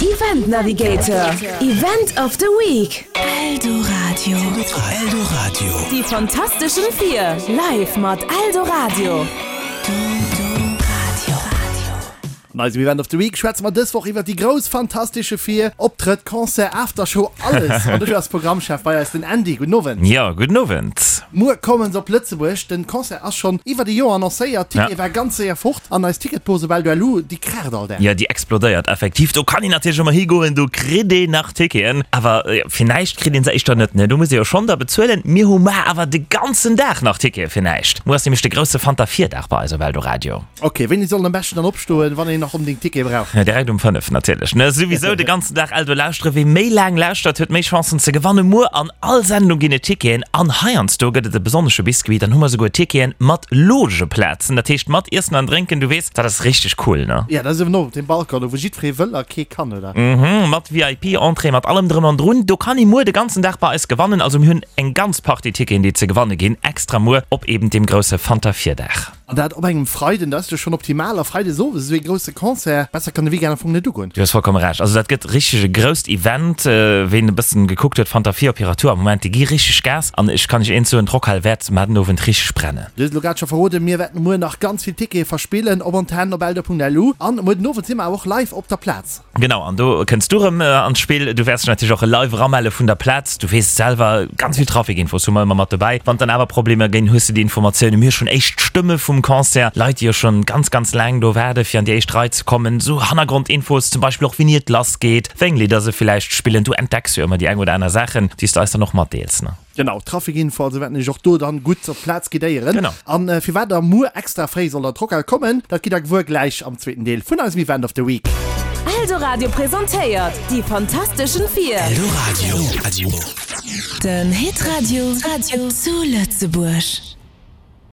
Event Navigator, Event of the Week. Eldoradio. Eldoradio. Die fantasteschen Vier, live mat Eldoradio. An eisem Event of the Week schwätze mer dës Woch iwwert déi grouss Fantastesche Vier. Optrëtt, Concert, Aftershow, alles! An dofir ass Programmchef bei eis den Andy. Gudden Owend. Jo, gudden Owend. Muer kommen se op Lëtzebuerg. Den Concert ass schonn iwwert e Joer annoncéiert. Ticket war ganz séier fort an eis Ticketbose op Eldo.lu, déi kraacht all Dag. Jo, déi explodéiert effektiv. Do kann een natierlech ëmmer higoen, do kritt een nach Ticketen, awer fir näischt kritt een se éischter net, ne? Do muss ee jo schonn da bezuelen. Mir hu mar awer de ganzen Dag nach Tickete fir näischt. Muer ass nämlech de grousse Fanta 4 Dag bei eis op Eldoradio. Ok, wéini soll en am beschten dann opstoen, wann een nach onbedéngt Tickete brauch? Direkt um 5 natierlech, ne? Souwisou de ganzen Dag Eldo lauschteren. Wie méi laang lauschtert, huet méi Chancen ze gewannen. Muer an all Sendung ginn et Ticketen an heiansdo gëtt et e besonnesche Biscuit. Dann hu mer souguer Ticketen mat Logeplazen, dat heescht mat Iessen an Drénken. Du weess, dat ass richteg cool, ne? Ja, dat ass eben och op dem Balcon, do wou jiddweree wëll a kee kann, oder? Mhm, mat VIP-Entrée, mat allem drëm an drun. Do kann ee muer de ganzen Dag bei eis gewannen. Also mir hunn eng ganz Partie Ticketen, déi ze gewanne ginn, extra muer op eben deem grousse Fanta 4 Dag. An dat op engem Freiden, dat ass jo schonn optimal. A Freides owes esou ee grousse Concert, besser kann de Weekend am Fong net ugoen. Du hues vollkomme Recht. Also dat gëtt richteg e grousst Event. Ween e bëssen gekuckt huet, Fanta 4 op hirer Tour am Moment, déi gi richteg Gas. An ech kann iech eent soen, d'Rockhal wäert mar den Owend richteg brennen. Du hues elo grad scho verroden, mir wäerten muer nach ganz vill Tickete verspillen op Antenn op eldo.lu. An muer den Owend si mer awer och live op der Plaz. Genau, an do kënns du erëm an d'Spill. Du wäerts dech natierlech och live eramelle vun der Plaz. Du weess et selwer, ganz vill Trafikinfos hu mer ëmmer mat dobäi. Wann et dann awer Problemer ginn, hues du déi Informatiounen. Mir hu schonn éischt Stëmme vum Concert, Leit, déi jo schonn ganz, ganz laang do waarde fir an déi éischt Rei ze kommen. Esou Hannergrondinfos, zum Beispill och wéini et lass geet, wéi eng Lidder se villäicht spillen. Du entdecks jo ëmmer déi eng oder aner Saachen, déi s du eis dann och matdeels, ne? Genau, Trafikinfo, also wäerten iech och do dann gutt op d'Plaz guidéieren. Genau. An firwat der muer extra fréi sollt an d'Rockhal kommen, dat gitt der gewuer gläich am zweeten Deel vun eisem Event of the Week. Eldoradio presentéiert Die Fantasteschen Vier. Eldoradio. Den Hitradio zu Lëtzebuerg.